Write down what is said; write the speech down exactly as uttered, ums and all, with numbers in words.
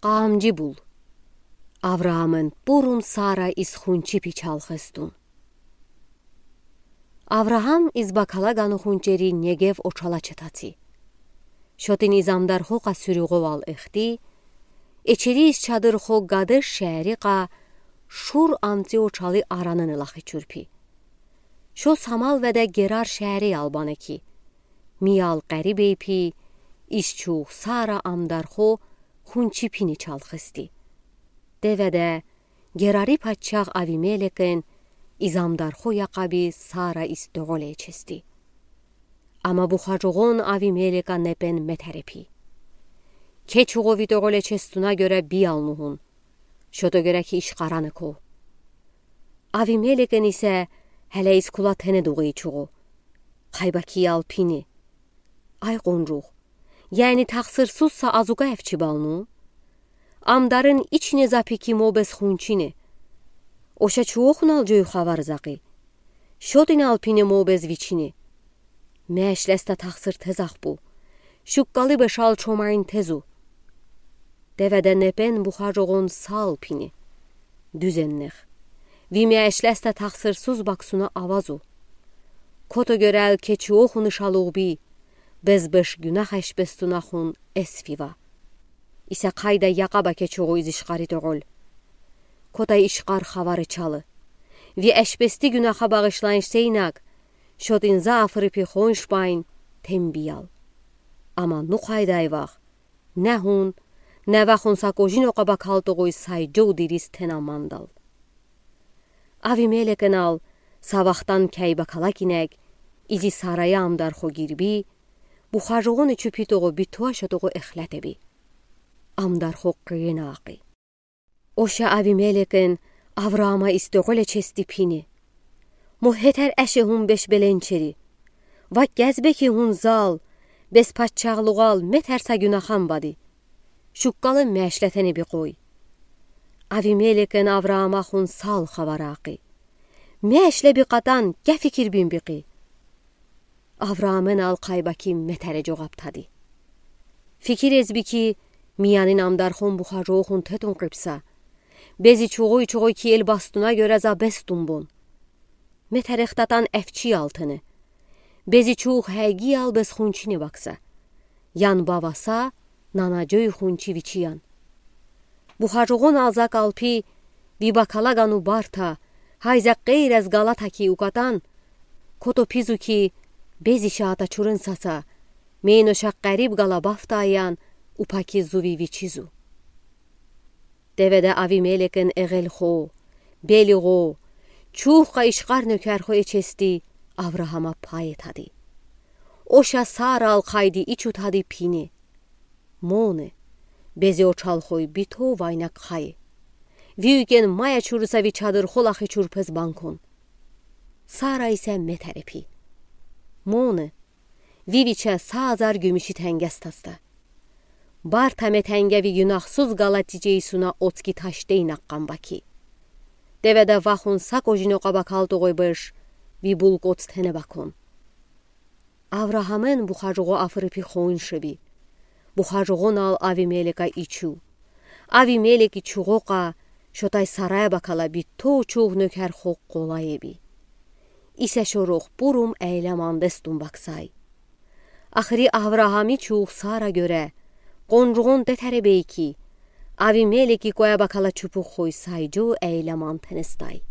Къаамжи бул. Авраамын бурун Сара из хунчипи чалхыстун. Авраам из бакалагану хунчери Негев очала четаци. Шотын из амдархокъа сюрюгъовал эхти, эчери из чадырхо Гадеш шеэрикъа Шур амци очалы аранын лахи чурпи. Шо Самал веде Герар шеэри албанеки. Миял къариб эйпи, из чух Сара амдархо хунчипини чалхысти. Деведе Герарий паччах Авимелекын из амдархо яхаби Сара из тоголечести. Ама бухажугъон Авимелека непен метерепи. Ке чугъо ви тоголечестуна гёре би алнухун. Шото гёре ки ишкъараны ко. Авимелекын исе геле из кула тенедугъи чугъо. Къайбаки ял пини. Ай къунрух. Яни тахсырсуз са азуга эфчи балну? Амдарын ичине запики мобез хунчини. Оша чуохунал жой хавар закъи. Шотинал пини мобез вичини. Мешлеста тахсыр тезах бу. Шуккалы бешал чомайн тезу. Деведе непен бухажугъон сал пини. Дюзеннех. Ви мешлеста тахсырсуз баксуна авазу. Кото гёрел ке чуохуны шалугъби, безбеш гюнах эшбестунахун эсфива. Исе къайда яхаба ке чугъо из ишкъари тоголь. Кота ишкъар хавары чалы. Ви эшбести гюнаха багъышланш сейнаг, шотын за афырыпи хоншбайн тембиял. Ама ну къайдай вах. Не хун, не вахун са кожин окъа бакал тогъуй сай жол дириз тена мандал. Авимелекын ал са вахтан кей бакала кинег, изи Сарая амдархо гирби, бухажугъоны чупи тогъу битуа шотогъу эхлетеби. Амдархо къыйына акъи. Оша Авимелекын Авраама из тоголечести пини. Мо хетер эше хун беш беленчери. Ва кезбеки хун зал, без паччахлугъал метер са гюнахам бади. Шуккалы мешлетени би къой. Авимелекын Авраама хун сал хавар акъи. Мешле би къатан, ке фикир бин би къи. Авраамын ал къайбаки метере жогъаптади. Фикир эзби ки, миянын амдархон бухажугъон тетун къыпса. Бези чугъуй-чугъуй ки эл бастуна гёре за бестун бон. Метерехтатан эфчи алтыны. Бези чух хеги ал без хунчини бакса. Ян баваса, нана жой хунчи вичиян. Бухажугъон алза калпи, ви бакалагану барта, хайза къейрез галата ки укатан, кото пизу ки, бези шаата чурын саса, мейно шак къариб гала бафта аян, упаки зуви вичизу. Деведе Авимелекын эгелхо, белигъо, чухъа ишкъар нёкерхо эчести Авраама пай этади. Оша Сара ал къайди ичутади пини. Моны, бези очалхой бито вайнак хай. Виукен мая чурыса ви чадырхо лахи чурпез банкон. Сара исе метерепи. Моны, ви виче са азар гюмиши тенгес таста. Барта метенге ви гюнахсуз галати жейсуна оцки ташдей накъан баки. Деведе вахун са кожин окъа бакал тогъуй беш, ви булкъоц тене бакон. Авраамын бухажугъо афырыпи хоншеби. Бухажугъон ал Авимелека ичу. Авимелеки чугъокъа, шотай Сарая бакала бито чух нёкерхо къолай эби. Исе шорох бурум эйле мандестун баксай. Ахыри Авраами чух Сара гёре, къонжугъон детере бейки, Авимелеки коя бакала чупух хой сай жо эйле ман тенестай.